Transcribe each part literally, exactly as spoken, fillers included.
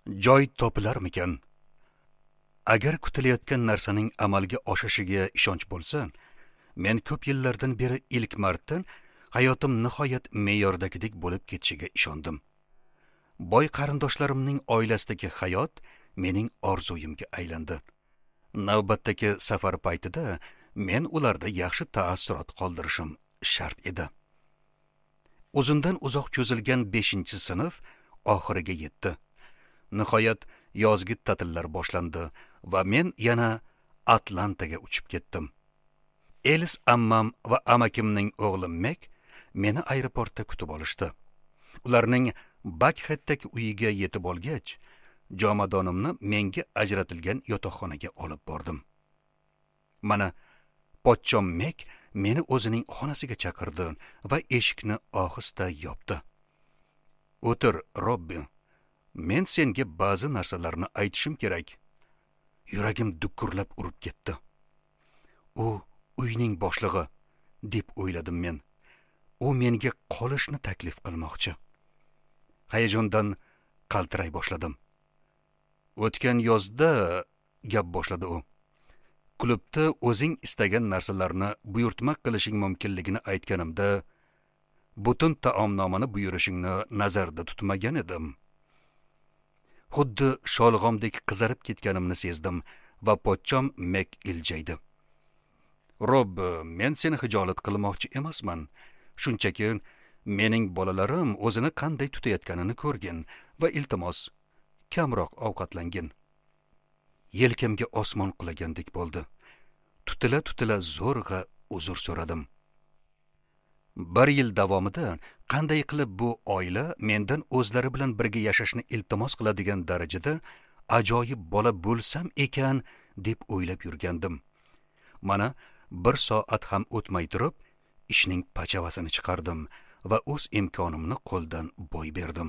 Joy topilarmikan? Agar kutilayotgan narsaning amalga oshishiga ishonch bo'lsa, men ko'p yillardan beri ilk marta hayotim nihoyat me'yordagidek bo'lib ketishiga ishondim. Boy qarindoshlarimning oilasidagi hayot mening orzuyimga aylandi. Navbatdagi safar paytida men ularda yaxshi taassurot qoldirishim shart edi. Uzundan uzoq cho'zilgan beshinchi sinf oxiriga yetdi. Nihoyat yozgi ta'tillar boshlandi va men yana Atlantaga uchib ketdim. Elis ammam va amakimning o'g'li Mek meni aeroportda kutib olishdi. Ularning Bakxeddagi uyiga yetib olgach, jomadonimni menga ajratilgan yotoqxonaga olib bordim. Mana pochchom Mek meni o'zining xonasiga chaqirdi va eshikni ohista yopdi. "O'tir, Robbi. Men senga ba'zi narsalarni aytishim kerak." Yuragim dukurlab urib ketdi. U uyning boshlig'i deb o'yladim men. U menga qolishni taklif qilmoqchi. Hayajondan qaltiray boshladim. "O'tgan yozda," gap boshladi u, "klubda o'zing istagan narsalarni buyurtma qilishing mumkinligini aytganimda, butun taomnomani buyurishingni nazarda tutmagan edim." Xuddi sholg'omdek qizarib ketganimni sezdim va pochchom Mek iljaydi. "Rob, men seni hijolat qilmoqchi emasman. Shunchaki mening bolalarim o'zini qanday tutayotganini ko'rgin va iltimos, kamroq ovqatlangin." Yelkamga osmon qulagandek bo'ldi. Tutila-tutila zo'rg'a uzr so'radim. Bir yil davomida qanday qilib bu oila mendan o'zlari bilan birga yashashni iltimos qiladigan darajada ajoyib bola bo'lsam ekan deb o'ylab yurgandim. Mana bir soat ham o'tmay turib ishning pachavasini chiqardim va o'z imkonimni qo'ldan boy berdim.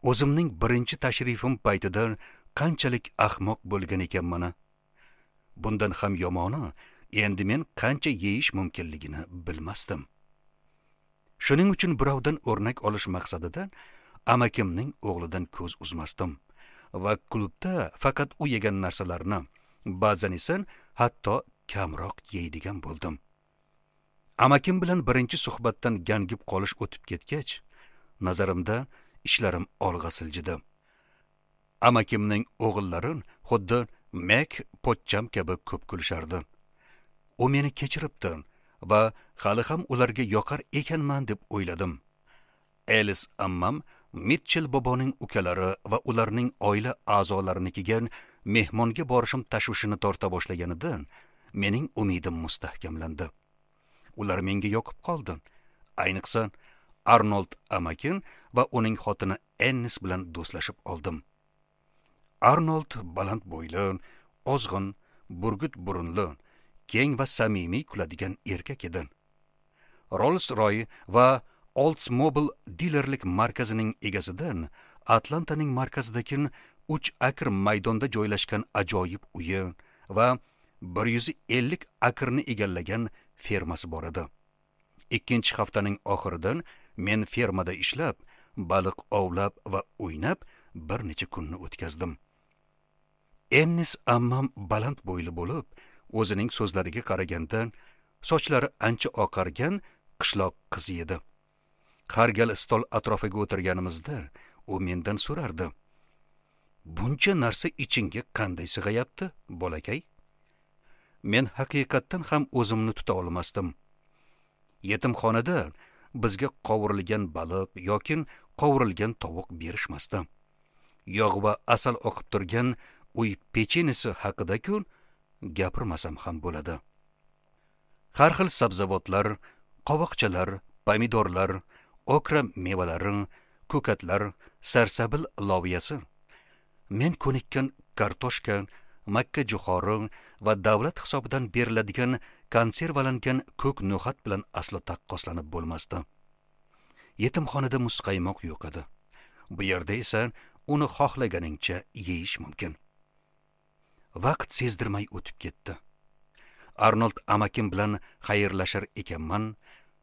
O'zimning birinchi tashrifim paytida qanchalik ahmoq bo'lgan ekanman. Bundan ham yomoni, endi men qancha yeyish mumkinligini bilmasdim. Shuning uchun birovdan o'rnak olish maqsadida amakimning o'g'lidan ko'z uzmasdim va klubda faqat u yegan narsalarni, ba'zan esa hatto kamroq yeydigan bo'ldim. Amakim bilan birinchi suhbatdan gangib qolish o'tib ketgach, nazarimda ishlarim olg'a siljidi. Amakimning o'g'illari xuddi Mek pochcham kabi ko'p kulishardi. U meni kechiribdi va hali ham ularga yoqar ekanman deb o'yladim. Elis ammam Mitchell boboning ukalari va ularning oila a'zolarinikiga mehmonga borishim tashvishini torta boshlaganidan mening umidim mustahkamlandi. Ular menga yoqib qoldi. Ayniqsa Arnold amakim va uning xotini Ennis bilan do'stlashib oldim. Arnold baland bo'yli, ozg'in, burgut burunli, keng va samimiy kuladigan erkak edi. Rolls-Royce va Oldsmobile dilerlik markazining egasidan Atlantaning markazidagi uch akr maydonda joylashgan ajoyib uyi va bir yuz ellik akrni egallagan fermasi bor edi. Ikkinchi haftaning oxiridan men fermada ishlab, baliq ovlab va o'ynab bir necha kunni o'tkazdim. Ennis ammam baland bo'yli bo'lib, o'zining so'zlariga qaraganda sochlari ancha oqargan qishloq qizi edi. Har gal stol atrofiga o'tirganimizda u mendan so'rardi: "Buncha narsa ichingga qanday sig'ayapti, bolakay?" Men haqiqatdan ham o'zimni tuta olmasdim. Yetimxonada bizga qovurilgan baliq yoki qovurilgan tovuq berishmasdi. Yog' va asal oqib turgan uy pechenisi haqida-ku gapirmasam ham bo'ladi. Har xil sabzavotlar, qovoqchalar, pomidorlar, okra mevalari, ko'katlar, sarsabil loviyasi, men ko'nikkan kartoshka, makka jo'xori va davlat hisobidan beriladigan konservalangan ko'k no'xat bilan aslo taqqoslanib bo'lmasdi. Yetimxonada muzqaymoq yo'q edi. Bu yerda esa uni xohlaganingcha yeyish mumkin. Vaqt sezdirmay o'tib ketdi. Arnold amakim bilan xayrlashar ekanman,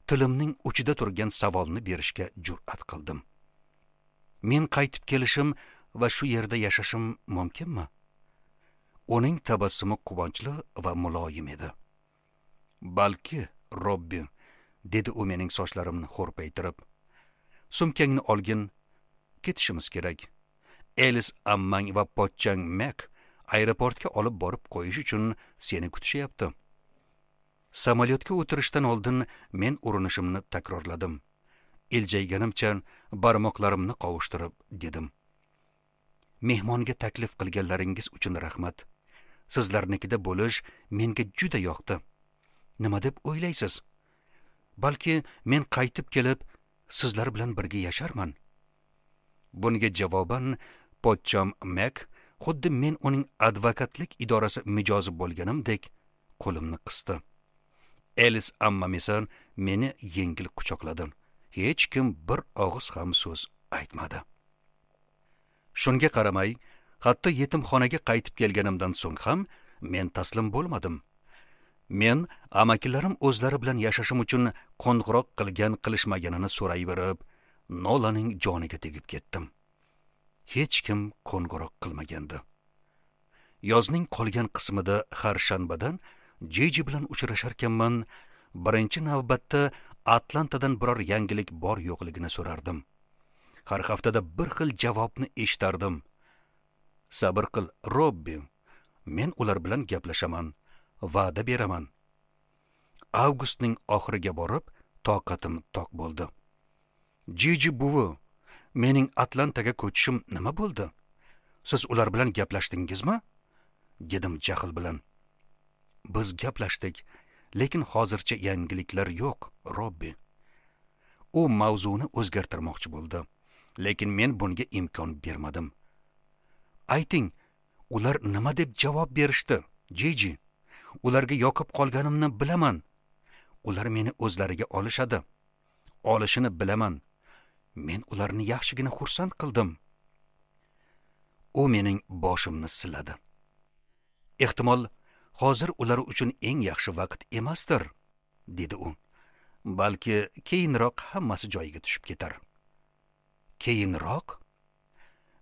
tilimning uchida turgan savolni berishga jur'at qildim. Men qaytib kelishim Va shu yerda yashashim mumkinmi? Uning tabassumi quvonchli va muloyim edi. Balki, Robbi, dedi u mening sochlarimni xo'rpaytirib. Sumkangni olgin, ketishimiz kerak. Elis ammang va pochchang Mek aeroportga olib borib qo'yish uchun seni kutishyapti. Samolyotga o'tirishdan oldin men urinishimni takrorladim. Iljayganimcha barmoqlarimni qovushtirib dedim: Mehmonga taklif qilganlaringiz uchun rahmat. Sizlarnikida bo'lish menga juda yoqdi. Nima deb o'ylaysiz? Balki men qaytib kelib sizlar bilan birga yasharman. Bunga javoban pochcham Mek xuddi men uning advokatlik idorasi mijozi bo'lganimdek qo'limni qisdi. Elis ammam esa meni yengil quchoqladi. Hech kim bir og'iz ham so'z aytmadi. Shunga qaramay, hatto yetimxonaga qaytib kelganimdan so'ng ham men taslim bo'lmadim. Men amakilarim o'zlari bilan yashashim uchun qo'ng'iroq qilgan qilishmaganini so'rayverib, Nolaning joniga tegib ketdim. Hech kim qo'ng'iroq qilmagandi. Yozning qolgan qismida har shanbadan Jiji bilan uchrasharkanman, birinchi navbatda Atlantadan biror yangilik bor yo'qligini so'rardim. Har haftada bir xil javobni eshitardim. Sabr qil, Robbi. Men ular bilan gaplashaman, va'da beraman. Avgustning oxiriga borib, toqatim toq bo'ldi. Jiji buvi, mening Atlantaga ko'chishim nima bo'ldi? Siz ular bilan gaplashdingizmi? Dedim jahl bilan. Biz gaplashdik, lekin hozircha yangiliklar yo'q, Robbi. U mavzuni o'zgartirmoqchi bo'ldi, lekin men bunga imkon bermadim. Ayting, ular nima deb javob berishdi, Jiji? Ularga yoqib qolganimni bilaman. Ular meni o'zlariga olishadi. Olishini bilaman. Men ularni yaxshigina xursand qildim. U mening boshimni siladi. Ehtimol hozir ular uchun eng yaxshi vaqt emasdir, dedi u. Balki keyinroq hammasi joyiga tushib ketar. Keyinroq?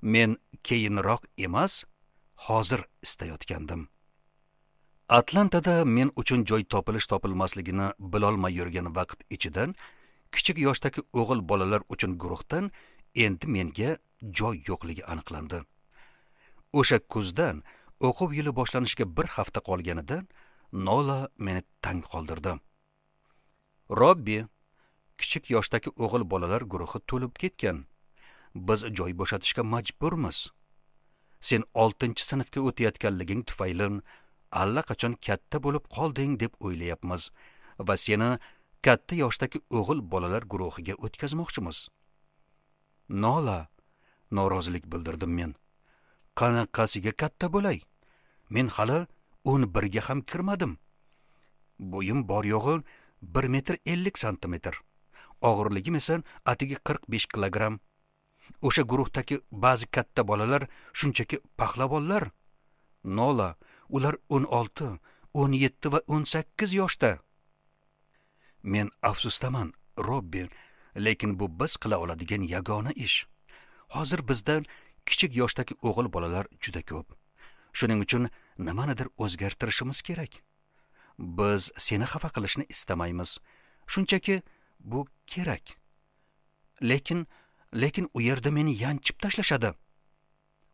Men keyinroq emas, hozir istayotgandim. Atlantada men uchun joy topilish topilmasligini bilolmay yurgan vaqt ichidan kichik yoshdagi o'g'il bolalar uchun guruhdan endi menga joy yo'qligi aniqlandi. O'sha kuzdan o'quv yili boshlanishiga bir hafta qolganida Nola meni tang qoldirdi. Robbi, kichik yoshdagi o'g'il bolalar guruhi to'lib ketgan. Biz joy bo'shatishga majburmiz. Sen oltinchi sinfga o'tayotganliging tufayli allaqachon katta bo'lib qolding deb o'ylayapmiz va seni katta yoshdagi o'g'il bolalar guruhiga o'tkazmoqchimiz. Nola, norozilik bildirdim men. Qanaqasiga katta bo'lay? Men hali o'n birga ham kirmadim. Bo'yim bor yo'g'i bir metr ellik santimetr. Og'irligim esa atigi qirq besh kilogramm. O'sha guruhdagi ba'zi katta bolalar shunchaki pahlavonlar. Nola, ular o'n olti, o'n yetti va o'n sakkiz yoshda. Men afsusdaman, Robbi, lekin bu biz qila oladigan yagona ish. Hozir bizdan kichik yoshdagi o'g'il bolalar juda ko'p. Shuning uchun nimanidir o'zgartirishimiz kerak. Biz seni xafa qilishni istamaymiz. Shunchaki bu kerak. Lekin lekin u yerda meni yanchib tashlashadi.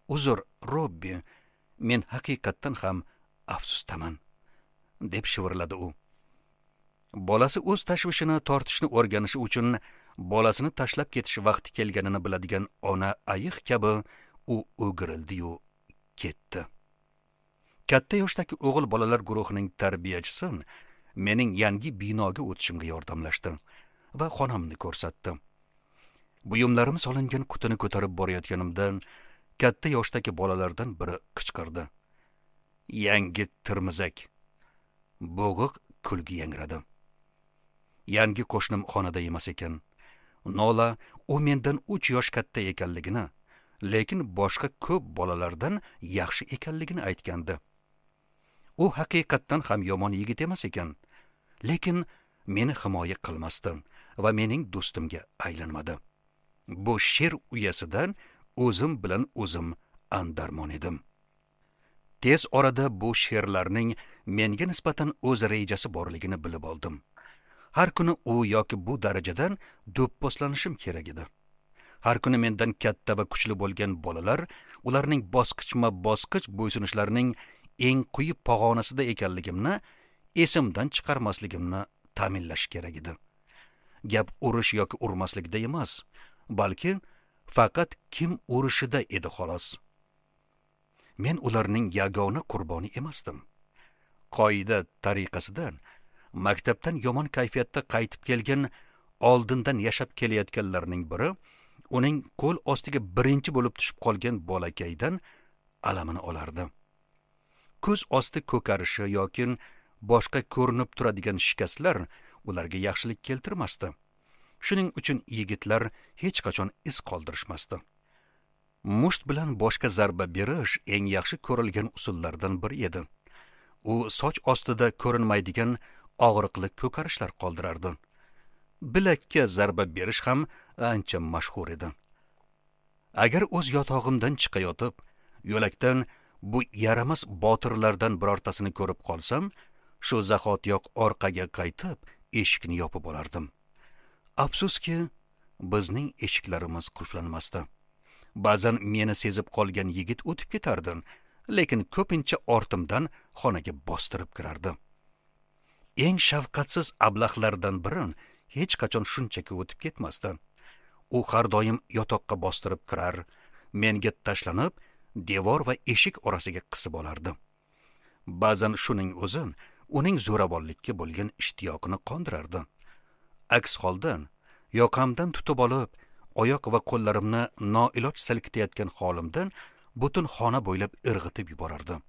Uzr, Robbi, men haqiqatdan ham afsusdaman, deb shivirladi u. Bolasi o'z tashvishini tortishni o'rganishi uchun bolasini tashlab ketish vaqti kelganini biladigan ona ayiq kabi u o'girildi-yu ketdi. Katta yoshdagi o'g'il bolalar guruhining tarbiyachisi mening yangi binoga o'tishimga yordamlashdi va xonamni ko'rsatdi. Buyumlarim solingan qutini ko'tarib borayotganimda katta yoshdagi bolalardan biri qichqirdi. Yangi tirmizak. Bo'g'iq kulgi yangradi. Yangi qo'shnim xonada emas ekan. Nola u mendan uch yosh katta ekanligini, lekin boshqa ko'p bolalardan yaxshi ekanligini aytgandi. U haqiqatdan ham yomon yigit emas ekan, lekin meni himoya qilmasdi va mening do'stimga aylanmadi. Bu sher uyasidan o'zim bilan o'zim andarmon edim. Tez orada bu sherlarning menga nisbatan o'z rejasi borligini bilib oldim. Har kuni u yoki bu darajadan do'pposlanishim kerak edi. Har kuni mendan katta va kuchli bo'lgan bolalar ularning bosqichma-bosqich bo'ysunishlarining eng quyi pog'onasida ekanligimni esimdan chiqarmasligimni ta'minlash kerak edi. Gap urish yoki urmaslikda emas, balki faqat kim urishida edi xolos. Men ularning yagona qurboni emasdim. Qoida tariqasida maktabdan yomon kayfiyatda qaytib kelgan, oldindan yashab kelayotganlarning biri uning qo'l ostiga birinchi bo'lib tushib qolgan bolakaydan alamini olardi. Ko'z osti ko'karishi yoki boshqa ko'rinib turadigan shikastlar ularga yaxshilik keltirmasdi. Shuning uchun yigitlar hech qachon iz qoldirishmasdi. Musht bilan boshqa zarba berish eng yaxshi ko'rilgan usullardan biri edi. U soch ostida ko'rinmaydigan og'riqli ko'karishlar qoldirardi. Bilakka zarba berish ham ancha mashhur edi. Agar o'z yotog'imdan chiqayotib, yo'lakdan bu yaramas botirlardan birortasini ko'rib qolsam, shu zahotiyoq orqaga qaytib, eshikni yopib olardim. Afsuski, bizning eshiklarimiz qulflanmasdi. Ba'zan meni sezib qolgan yigit o'tib ketardi, lekin ko'pincha ortimdan xonaga bostirib kirardi. Eng shafqatsiz ablahlardan biri hech qachon shunchaki o'tib ketmasdi. U har doim yotoqqa bostirib kirar, menga tashlanib, devor va eshik orasiga qisib olardi. Ba'zan shuning o'zi uning zo'ravonlikka bo'lgan ishtiyoqini qondirardi. Aks holda yoqamdan tutib olib, oyoq va qo'llarimni noiloj silkitayotgan holimdan butun xona bo'ylab irg'itib yuborardi.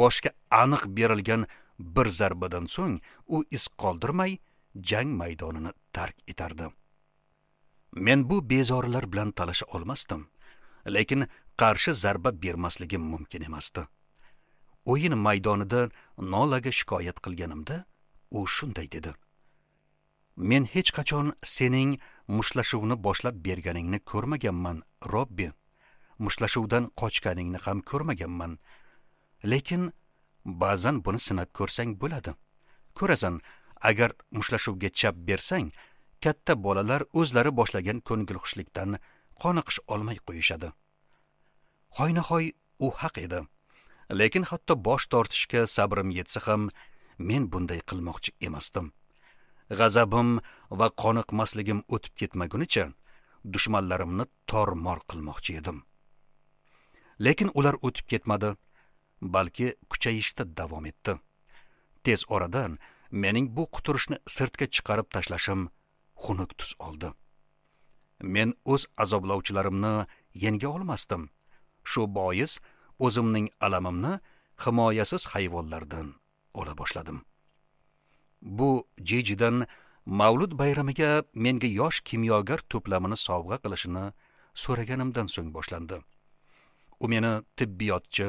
Boshga aniq berilgan bir zarbadan so'ng u iz qoldirmay jang maydonini tark etardi. Men bu bezorilar bilan talasha olmasdim, lekin qarshi zarba bermasligim mumkin emasdi. O'yin maydonida Nolaga shikoyat qilganimda u shunday dedi: Men hech qachon sening mushlashuvni boshlab berganingni ko'rmaganman, Robbi. Mushlashuvdan qochganingni ham ko'rmaganman. Lekin ba'zan buni sinab ko'rsang bo'ladi. Ko'rasan, agar mushlashuvga chap bersang, katta bolalar o'zlari boshlagan ko'ngilxushlikdan qoniqish olmay qo'yishadi. Hoynahoy u haq edi. Lekin hatto bosh tortishga sabrim yetsa ham men bunday qilmoqchi emasdim. G'azabim va qoniqmasligim o'tib ketmagunicha dushmanlarimni tormor qilmoqchi edim. Lekin ular o'tib ketmadi, balki kuchayishda davom etdi. Tez oradan mening bu quturishni sirtga chiqarib tashlashim xunuk tus oldi. Men o'z azoblovchilarimni yenga olmasdim. Shu bois o'zimning alamimni himoyasiz hayvonlardan ola boshladim. Bu Jijidan Mavlud bayramiga menga yosh kimyogar to'plamini sovg'a qilishini so'raganimdan so'ng boshlandi. U meni tibbiyotchi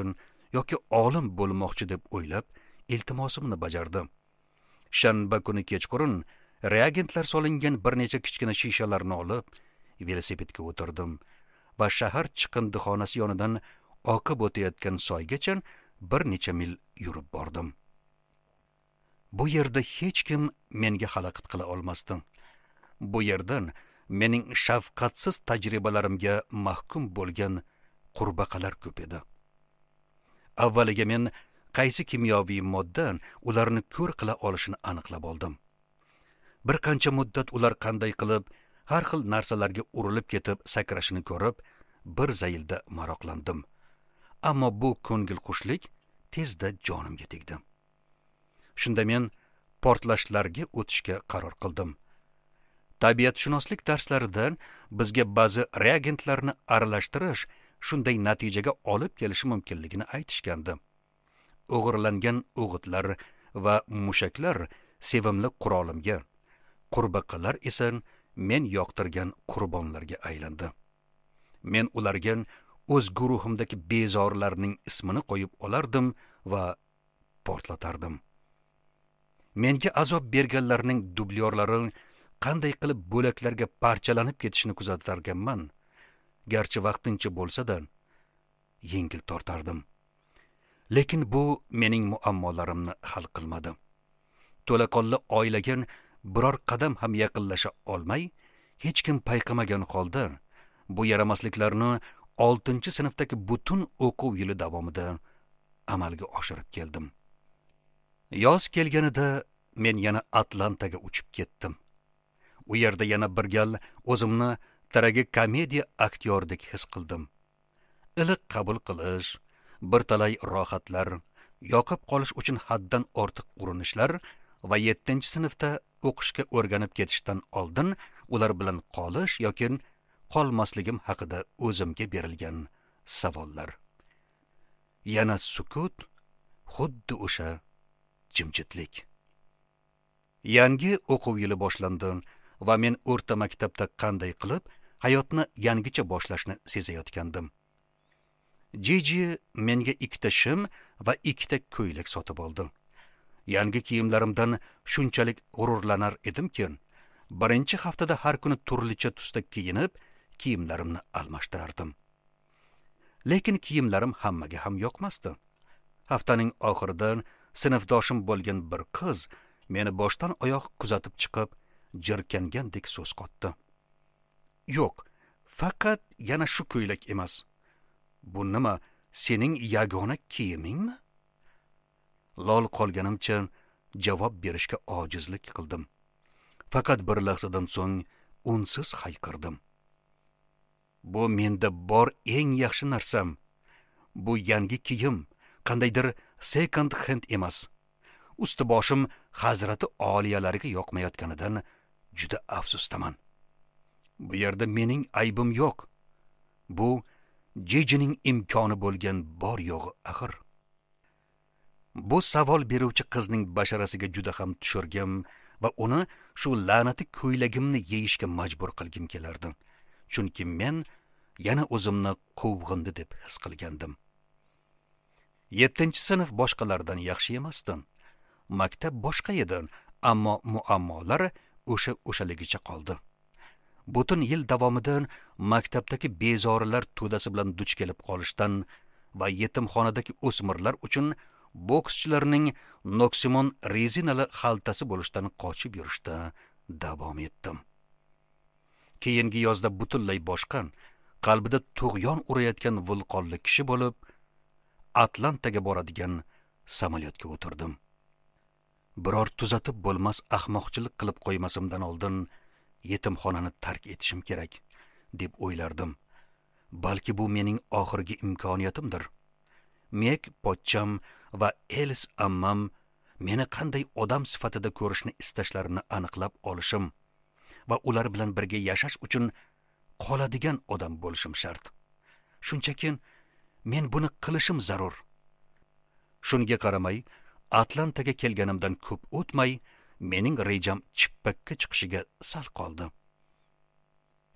yoki olim bo'lmoqchi deb o'ylab, iltimosimni bajardi. Shanba kuni kechqurun reagentlar solingan bir necha kichkina shishalarni olib, velosipedga o'tirdim va shahar chiqindixonasi yonidan oqib o'tayotgan soygacha bir necha mil yurib bordim. Bu yerda hech kim menga xalaqit qila olmasdi. Bu yerdan mening shafqatsiz tajribalarimga mahkum bo'lgan qurbaqalar ko'p edi. Avvaliga men qaysi kimyoviy modda ularni ko'r qila olishini aniqlab oldim. Bir qancha muddat ular qanday qilib har xil narsalarga urilib ketib sakrashini ko'rib, bir zaylda maroqlandim. Ammo bu ko'ngilxushlik tezda jonimga tegdi. Shunda men portlashlarga o'tishga qaror qildim. Tabiatshunoslik darslarida bizga ba'zi reagentlarni aralashtirish shunday natijaga olib kelishi mumkinligini aytishgandi. O'g'irlangan o'g'itlar va mushaklar sevimli qurolimga, qurbaqalar esa men yoqtirgan qurbonlarga aylandi. Men ularga o'z guruhimdagi bezorlarning ismini qo'yib olardim va portlatardim. Menga azob berganlarning dublyorlari qanday qilib bo'laklarga parchalanib ketishini kuzatarganman. garchi vaqtincha bo'lsa-da, yengil tortardim. Lekin bu mening muammolarimni hal qilmadi. To'laqonli oilaga biror qadam ham yaqinlasha olmay, hech kim payqamagan holda bu yaramasliklarni oltinchi sinfdagi butun o'quv yili davomida amalga oshirib keldim. Yoz kelganida men yana Atlantaga uchib ketdim. U yerda yana bir gal o'zimni tragikomediya aktyoridek his qildim. Iliq qabul qilish, bir talay rohatlar, yoqib qolish uchun haddan ortiq urinishlar va yettinchi sinfda o'qishga o'rganib ketishdan oldin ular bilan qolish yoki qolmasligim haqida o'zimga berilgan savollar. Yana sukut, xuddi o'sha jimjitlik. Yangi o'quv yili boshlandi va men o'rta maktabda qanday qilib hayotni yangicha boshlashni sezayotgandim. Jiji menga ikkita shim va ikkita ko'ylak sotib oldi. Yangi kiyimlarimdan shunchalik g'ururlanar edimki, birinchi haftada har kuni turlicha tusda kiyinib, kiyimlarimni almashtirardim. Lekin kiyimlarim hammaga ham yoqmasdi. Haftaning oxirida sinfdoshim bo'lgan bir qiz meni boshdan oyoq kuzatib chiqib, jirkangandek so'z qotdi. Yo'q, faqat yana shu ko'ylak emas. Bu nima, sening yagona kiyimingmi? Lol qolganimcha javob berishga ojizlik qildim. Faqat bir lahzadan so'ng unsiz hayqirdim. Bu menda bor eng yaxshi narsam. Bu yangi kiyim, qandaydir second hand emas. Usti boshim hazrati oliyalariga yoqmayotganidan juda afsusdaman. Bu yerda mening aybim yo'q. Bu Jijining imkoni bo'lgan bor yo'g'i axir. Bu savol beruvchi qizning basharasiga juda ham tushirgim va uni shu la'nati ko'ylagimni yeyishga majbur qilgim kelardi. Chunki men yana o'zimni quvg'indi deb his qilgandim. Yettinchi sinf boshqalardan yaxshi emasdi. Maktab boshqa edi, ammo muammolar o'sha o'shaligicha qoldi. Butun yil davomida maktabdagi bezorilar to'dasi bilan duch kelib qolishdan va yetimxonadagi o'smirlar uchun bokschilarning noksimon rezinali xaltasi bo'lishdan qochib yurishda davom etdim. Keyingi yozda butunlay boshqa, qalbida tug'yon urayotgan vulqonli kishi bo'lib, Atlantaga boradigan samolyotga o'tirdim. Biror tuzatib bo'lmas ahmoqchilik qilib qo'ymasimdan oldin yetimxonani tark etishim kerak, deb o'ylardim. Balki bu mening oxirgi imkoniyatimdir. Mek pochcham va Elis ammam meni qanday odam sifatida ko'rishni istashlarini aniqlab olishim va ular bilan birga yashash uchun qoladigan odam bo'lishim shart. Shunchaki men buni qilishim zarur. Shunga qaramay, Atlantaga kelganimdan ko'p o'tmay, mening rejam chippakka chiqishiga sal qoldi.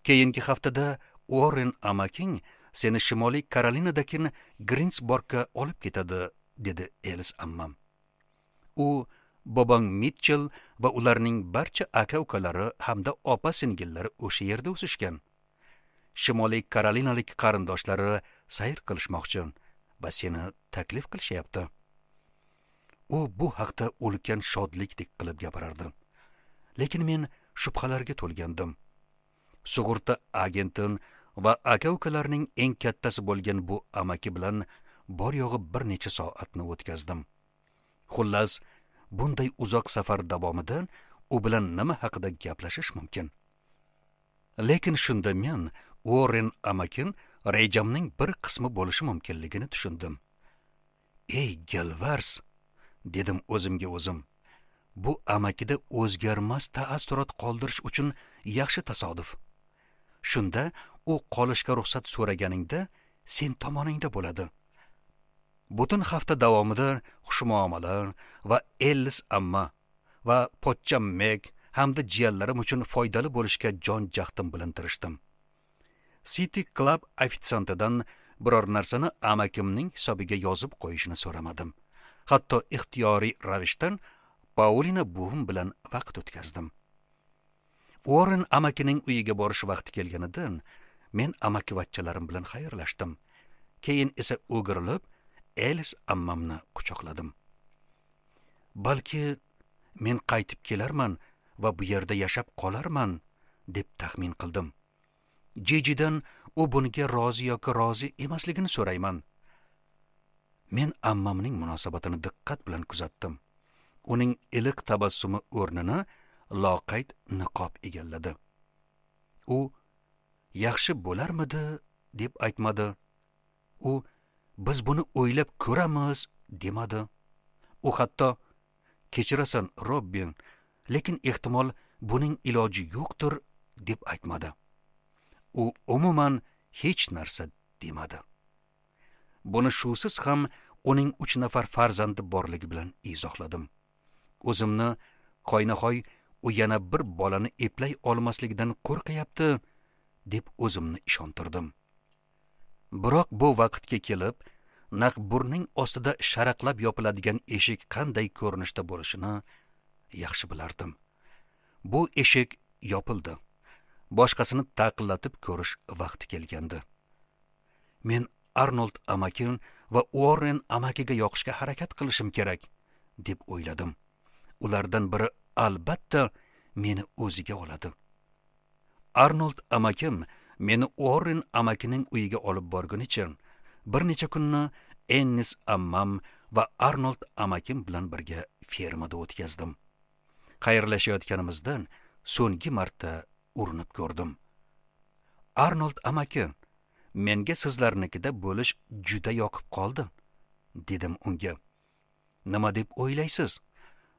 Keyingi haftada Uorren amaking seni Shimoliy Karolinadagi Grinsborgga olib ketadi, dedi Elis ammam. U bobong Mitchell va ularning barcha aka-ukalari hamda opa-singillari o'sha yerda o'sishgan. Shimoliy Karolinalik qarindoshlari sayr qilishmoqchi va seni taklif qilishyapti. U bu haqda ulkan shodlikdek qilib gapirardi. Lekin men shubhalarga to'lgandim. Sug'urta agenti va aka-ukalarning eng kattasi bo'lgan bu amaki bilan bor yo'g'i bir necha soatni o'tkazdim. Xullas, bunday uzoq safar davomida u bilan nima haqida gaplashish mumkin? Lekin shunda men Uorren amakin rejamning bir qismi bo'lishi mumkinligini tushundim. Ey galvars, dedim o'zimga o'zim. Bu amakida o'zgarmas taassurot qoldirish uchun yaxshi tasodif. Shunda u qolishga ruxsat so'raganingda sen tomoningda bo'ladi. Butun hafta davomida xushmuomala va Ellis amma va pochcham Meg hamda jiyanlarim uchun foydali bo'lishga jon jahdim bilan tirishdim. City Club ofitsiantidan biror narsani amakimning hisobiga yozib qo'yishini so'ramadim. Hatto ixtiyoriy ravishdan Paulina buvim bilan vaqt o'tkazdim. Uorren amakining uyiga borish vaqti kelganidan Men amakivachchalarim bilan xayrlashdim. Keyin esa o'girilib Elis ammamni quchoqladim. Balki men qaytib kelarman va bu yerda yashab qolarman deb taxmin qildim. Jijidan u bunga rozi yoki rozi emasligini so'rayman. Men ammamning munosabatini diqqat bilan kuzatdim. Uning iliq tabassumi o'rnini loqayd niqob egalladi. U yaxshi bo'larmidi deb aytmadi. U biz buni o'ylab ko'ramiz demadi. U hatto kechirasan Robbin, lekin ehtimol buning iloji yo'qdir deb aytmadi. U umuman hech narsa demadi. Buni shusiz ham uning uch nafar farzandi borligi bilan izohladim. O'zimni hoynahoy u yana bir bolani eplay olmasligidan qo'rqyapti deb o'zimni ishontirdim. Biroq bu vaqtga kelib, naq burning ostida sharaqlab yopiladigan eshik qanday ko'rinishda bo'lishini yaxshi bilardim. Bu eshik yopildi. Boshqasini taqillatib ko'rish vaqti kelgandi. Men Arnold amakim va Uorren amakiga yoqishga harakat qilishim kerak deb o'yladim. Ulardan biri albatta meni o'ziga oladi. Arnold amakim meni Uorren amakining uyiga olib borgunicha bir necha kunni Ennis ammam va Arnold amakim bilan birga fermada o'tkazdim. Xayrlashayotganimizdan so'nggi marta urinib ko'rdim. Arnold amaki, menga sizlarnikida bo'lish juda yoqib qoldi, dedim unga. Nima deb o'ylaysiz?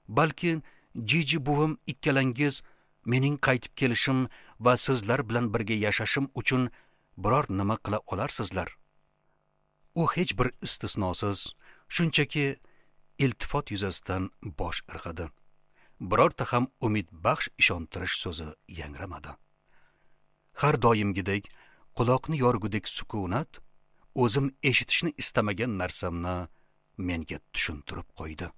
Balki Jiji buvim ikkalangiz mening qaytib kelishim va sizlar bilan birga yashashim uchun biror nima qila olarsizlar. U hech bir istisnosiz, shunchaki iltifot yuzasidan bosh irg'adi. Birorta ham umidbaxsh ishontirish so'zi yangramadi. Har doimgidek quloqni yorgudek sukunat o'zim eshitishni istamagan narsamni menga tushuntirib qo'ydi.